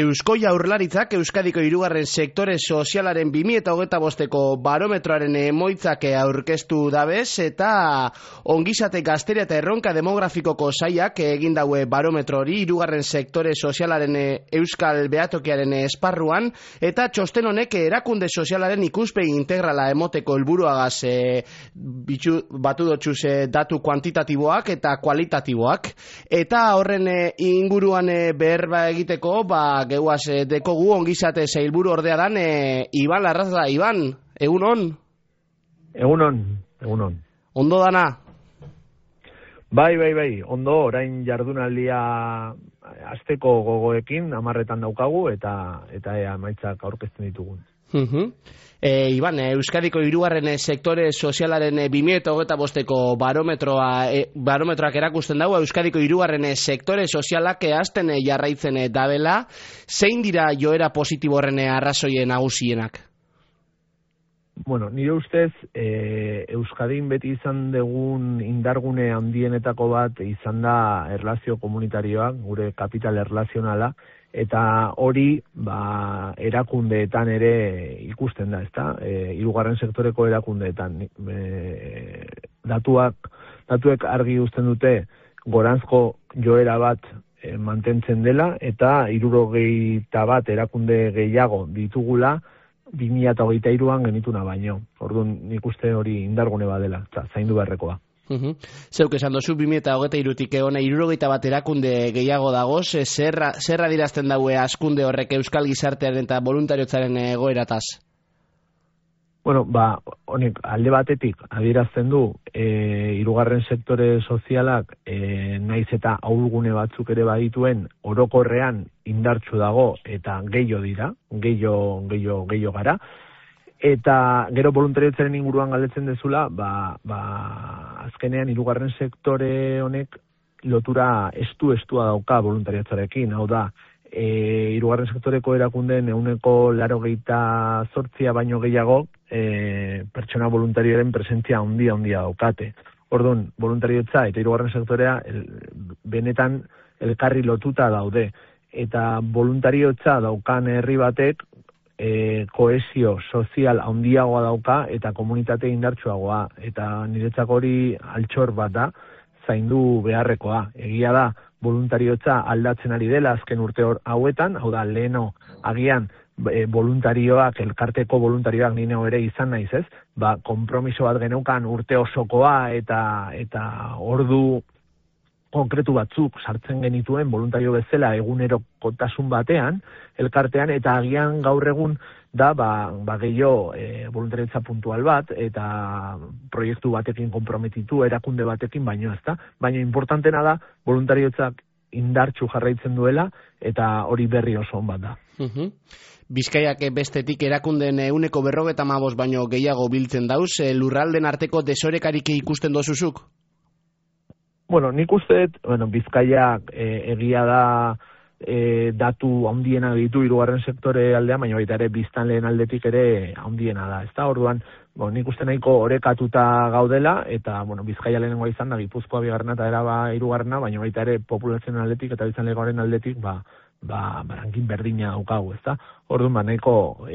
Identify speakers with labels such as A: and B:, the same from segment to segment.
A: Eusko Jaurlaritzak Euskadiko hirugarren sektore sozialaren 2025ko barometroaren emoitzak aurkeztu dabez eta ongizate gazteria eta erronka demografikoko sailak egin daue barometro hori hirugarren sektore sozialaren euskal behatokiaren esparruan eta txosten honek erakunde sozialaren ikuspegi integrala emoteko helburuagaz batu dotxuz datu kuantitatiboak eta kualitatiboak eta horren inguruan berba egiteko geuaz dekogu ongizate sailburu ordea dan Iban Larraza. Iban, egunon?
B: Egunon.
A: Ondo dana?
B: Bai, ondo, orain jardunaldia asteko gogoekin 10etan daukagu eta emaitzak aurkezten ditugun.
A: Iban, Euskadiko hirugarren sektore sozialaren 2025ko barometroak erakusten dago Euskadiko hirugarren sektore sozialak hasten jarraitzen dabela. Zein dira joera positibo horren arrazoien nagusienak?
B: Bueno, nire ustez Euskadin beti izan dugun indargune handienetako bat izan da erlazio komunitarioak, gure kapital erlazionala, eta hori erakundeetan ere ikusten da, ezta? Hirugarren sektoreko erakundeetan datuek argi uzten dute goranzko joera bat mantentzen dela eta 61 erakunde gehiago ditugula 2023an genituna baino. Orduan nik uste hori indargune badela, zaindu beharrekoa.
A: Zeuk esan dozu 2023tik hona 61 erakunde gehiago dagoz, zer adierazten daue askunde horrek euskal gizartearen eta voluntariotzaren egoerataz?
B: Bueno, honek alde batetik adierazten du hirugarren sektore sozialak naiz eta ahulgune batzuk ere badituen orokorrean indartsu dago eta gehiago gara. Eta gero voluntariotzaren inguruan galdetzen dezula, azkenean hirugarren sektore honek lotura estua dauka voluntarioetzarekin, hau da, hirugarren sektoreko erakundeen 98% baino gehiago pertsona voluntarioaren presentzia handia daukate. Orduan, voluntariotza eta hirugarren sektorea benetan elkarri lotuta daude. Eta voluntariotza daukan herri batek kohesio sozial handiagoa dauka eta komunitate indartsuagoa. Eta niretzako hori altxor bat da, zaindu beharrekoa. Egia da, voluntariotza aldatzen ari dela azken urte hauetan, hau da, leheno agian voluntarioak, elkarteko voluntarioak nino ere izan naiz ez, konpromiso bat geneukan urte osokoa eta ordu konkretu batzuk sartzen genituen voluntario bezala egunerokotasun batean, elkartean, eta agian gaur egun da gehiago voluntariotza puntual bat eta proiektu batekin konprometitu, erakunde batekin baino ezta. Baina importantena da voluntariotzak indartsu jarraitzen duela eta hori berri oso on bat da.
A: Bizkaiak bestetik erakundeen 155 baino gehiago biltzen dauz, lurralden arteko desorekarik ikusten dozuzuk?
B: Bueno, nik uste, Bizkaiak egia da datu handiena ditu hirugarren sektore aldean, baina baita ere biztanleen aldetik ere handiena da. Ez da, orduan, nik uste nahiko orekatuta gaudela, eta Bizkaia lehenengoa izan da, Gipuzkoa bigarrena eta Araba hirugarrena, baina baita ere populazioen aldetik eta biztanlegoaren aldetik, rankin berdina daukagu, ez da. Orduan, nahiko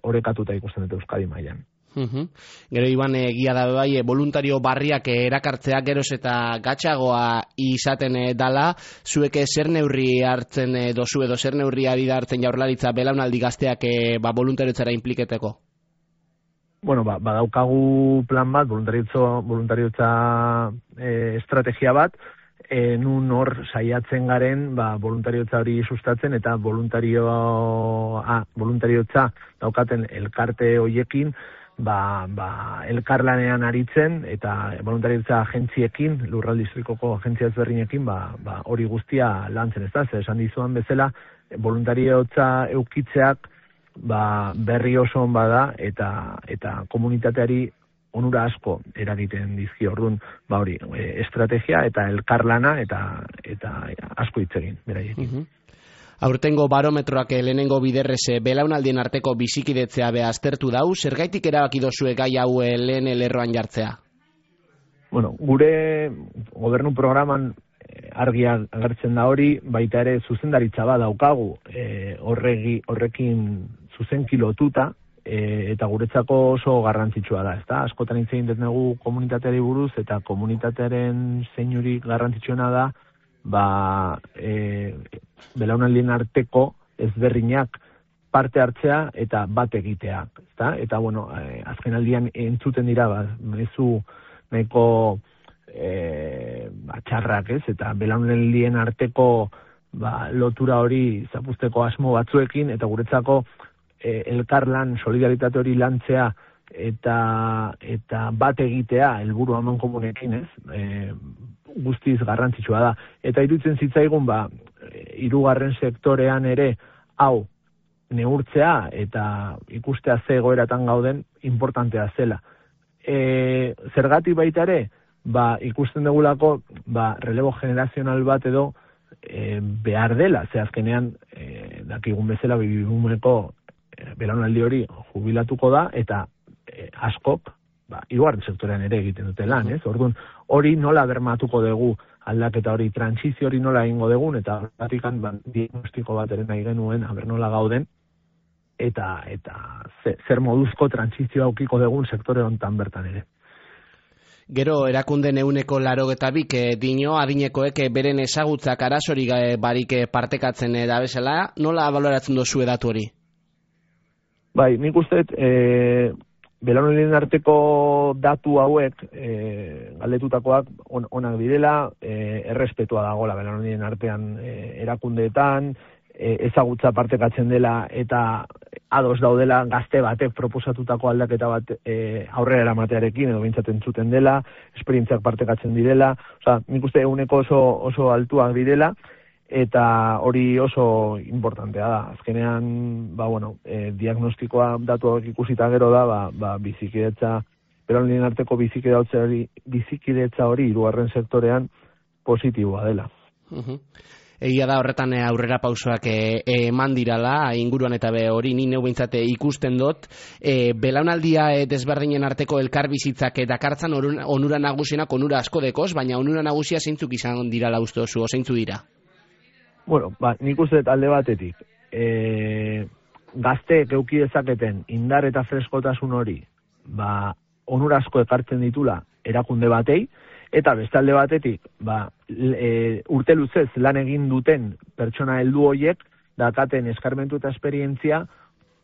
B: orekatuta ikusten dute Euskadi mailan.
A: Gero Iban, egia da bai, voluntario barriak erakartzea geroz eta gatxagoa izaten dala, zuek zer neurri hartzen dozu edo zer neurri ari da hartzen Jaurlaritza belaunaldi gazteak voluntariotzara impliketeko?
B: Bueno, badaukagu plan bat, voluntariotza estrategia bat, nun hor saiatzen garen voluntariotza hori sustatzen eta voluntariotza daukaten elkarte hoiekin elkarlanean aritzen eta voluntariotza agentziekin, lurralde historikoko agentzia ezberdinekin hori guztia lantzen, ez da? Esan dizuan bezala, voluntariotza eukitzeak berri oso on bada eta komunitateari onura asko eragiten dizki. Orduan, hori, estrategia eta elkarlana eta asko hitz egin, beraiekin.
A: Aurtengo barometroak lehenengo biderrez belaunaldien arteko bizikidetzea aztertu dau, zergaitik erabaki dozue gai hau lehen lerroan jartzea?
B: Bueno, gure gobernu programan argia agertzen da hori, baita ere zuzendaritza bat daukagu horrekin zuzenki lotuta, eta guretzako oso garrantzitsua da, ezta? Askotan hitz egin dugu komunitateari buruz, eta komunitatearen zeinurik garrantzitsuena da, belaunaldien arteko ezberdinak parte hartzea eta bat egitea, ezta? Eta bueno, azken aldian entzuten dira mezu nahiko txarrak, ez? Eta belaunaldien arteko lotura hori zapuzteko asmo batzuekin, eta guretzako elkarlan, solidaritate hori lantzea eta bat egitea helburu amankomunekin, ez? Guztiz garrantzitsua da. Eta iruditzen zitzaigun, hirugarren sektorean ere hau neurtzea eta ikustea ze egoeratan gauden importantea zela. Zergatik baita ere, ikusten degulako relebo generazional bat edo behar dela, ze azkenean dakigun bezala bibumeko belaunaldi hori jubilatuko da, eta askok hirugarren sektorean ere egiten dute lan, ez? Orduan, hori nola bermatuko dugu, aldaketa hori, trantsizio hori nola egingo dugun, eta horretikan diagnostiko bat ere nahi genuen, aber nola gauden, eta zer moduzko trantsizioa aukiko dugun sektore hontan bertan ere.
A: Gero, erakunden 82 dio adinekoek beren ezagutzak arazorik barik partekatzen da bezala, nola baloratzen dozu datu hori?
B: Bai, nik uste belaunaldien arteko datu hauek galdetutakoak onak direla, errespetua dagoela belaunaldien artean erakundeetan, ezagutza partekatzen dela eta ados daudela gazte batek proposatutako aldaketa bat aurrera eramatearekin edo behintzat entzuten dela, esperientziak partekatzen direla, nik uste eguneko oso altuak direla, eta hori oso importantea da. Azkenean, diagnostikoa datu hauek ikusita gero da, bizikidetza, belaunaldien arteko bizikidetza hori hirugarren sektorean positiboa dela.
A: Egia da horretan aurrera pausoak eman dirala, inguruan eta hori ni neu behintzat ikusten dut, belaunaldia desberdinen arteko elkarbizitzak dakartzan onura nagusienak onura asko dekoz, baina onura nagusia zeintzuk izan dirala uste oso, zeintzu dira?
B: Bueno, nik uste alde batetik, gazteek eduki dezaketen indar eta freskotasun hori, onura asko ekartzen ditula erakunde batei, eta beste alde batetik, urte luzez lan egin duten pertsona heldu horiek, dakaten eskarmentu eta esperientzia,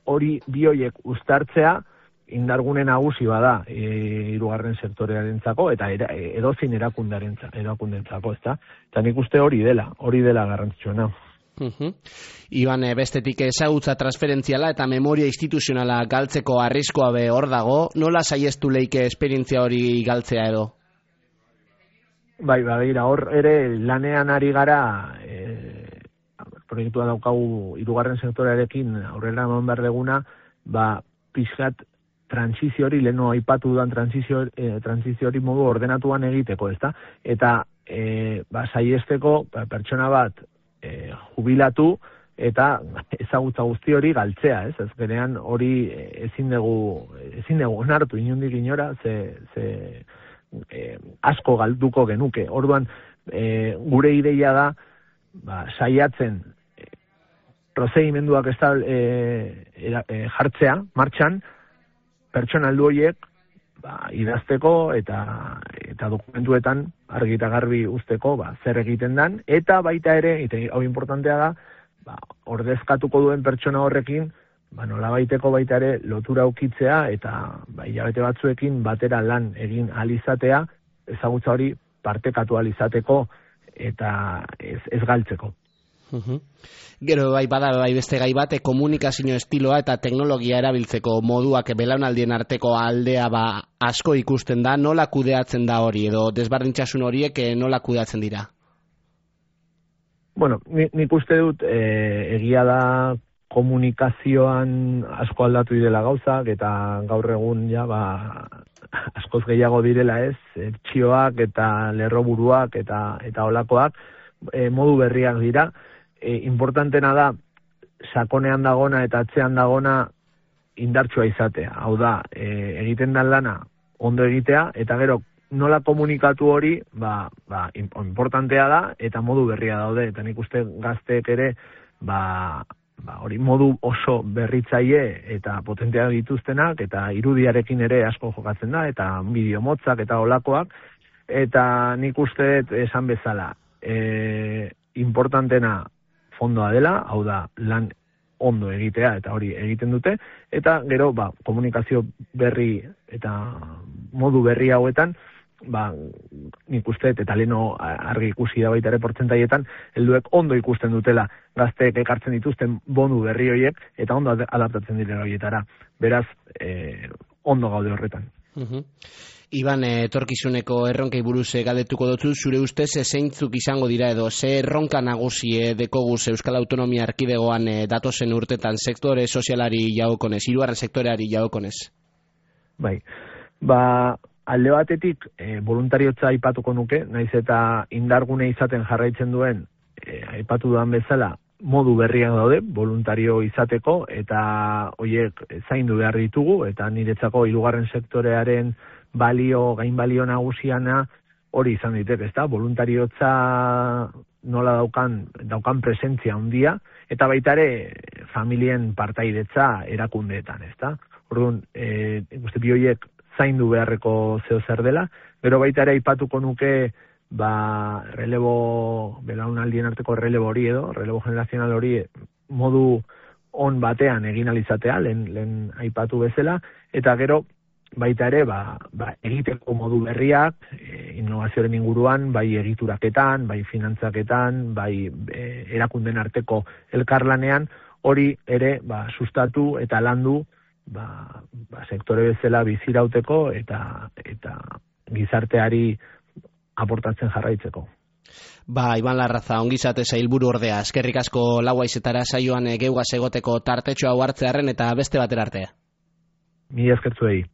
B: hori bi horiek uztartzea, indargune nagusi bada hirugarren sektorearentzako eta edozein erakundentzako, ezta? Eta nik uste hori dela garrantzitsuena.
A: Iban, bestetik ezagutza transferentziala eta memoria instituzionala galtzeko arriskoa hor dago, nola saiestu leike esperientzia hori galtzea edo?
B: Bai, hor ere lanean ari gara, proiektua daukagu hirugarren sektorearekin aurrera eman behar deguna, pixkat transizio hori, leheno aipatu dudan transizio hori modu ordenatuan egiteko, ezta? Eta saiesteko pertsona bat jubilatu eta ezagutza guzti hori galtzea, ez? Azkenean hori ezin dugu onartu inondik inora, ze asko galduko genuke. Orduan, gure ideia da, saiatzen prozedimenduak jartzea, martxan, pertsona heldu horiek idazteko eta dokumentuetan argi eta garbi uzteko zer egiten dan, eta baita ere, hau importantea da, ordezkatuko duen pertsona horrekin, nolabaiteko baita ere lotura ukitzea eta hilabete batzuekin batera lan egin alizatea, ezagutza hori partekatu alizateko eta ez galtzeko.
A: Gero bada beste gai bat, komunikazio estiloa eta teknologia erabiltzeko moduak belaunaldien arteko aldea asko ikusten da, nola kudeatzen da hori edo desberdintasun horiek nola kudeatzen dira?
B: Bueno, nik uste dut egia da komunikazioan asko aldatu direla gauzak eta gaur egun askoz gehiago direla, ez, txioak eta lerroburuak eta olakoak modu berriak dira. Importantena da sakonean dagona eta atzean dagona indartsua izatea. Hau da, egiten dan lana ondo egitea, eta gero nola komunikatu hori, importantea da, eta modu berria daude, eta nik uste gazteek ere, hori modu oso berritzaile eta potentea dituztenak, eta irudiarekin ere asko jokatzen da, eta bideo motzak eta olakoak, eta nik uste esan bezala, importantena fondoa dela, hau da, lan ondo egitea, eta hori egiten dute, eta gero, komunikazio berri eta modu berri hauetan, nik uste, eta leno argi ikusi da baita ere portzentaietan, helduek ondo ikusten dutela gazteek ekartzen dituzten bonu berri horiek, eta ondo adaptatzen direla horietara. Beraz, ondo gaude horretan.
A: Iban, etorkizuneko erronkei buruz galdetuko dutzu, zure ustez zeintzuk izango dira edo ze erronka nagusi dekoguz Euskal Autonomia Erkidegoan datozen urtetan sektore sozialari jagokonez, hirugarren sektoreari jagokonez?
B: Bai, alde batetik voluntariotza aipatuko nuke, naiz eta indargune izaten jarraitzen duen aipatu dudan bezala modu berriak daude voluntario izateko, eta horiek zaindu behar ditugu, eta niretzako hirugarren sektorearen gain balio nagusiana hori izan ditek, ezta? Voluntariotza nola daukan presentzia handia, eta baita ere familien partaidetza erakundeetan, ezta? Orduan, bi horiek zaindu beharreko zeo zer dela, gero baita ere aipatuko nuke belaunaldien arteko relebo hori relebo generazional hori modu on batean egin alizatea, lehen aipatu bezala, eta gero baita ere, egiteko modu berriak, innovazioaren inguruan, bai egituraketan, bai finantzaketan, bai erakunden arteko elkarlanean, hori ere sustatu eta landu sektore bezala bizirauteko eta gizarteari aportatzen jarraitzeko.
A: Iban Larraza, ongizate sailburu ordea, eskerrik asko lau haizetara saioan geugaz egoteko tartetxo hau hartzearren eta beste batera arte.
B: Mila eskertzuei.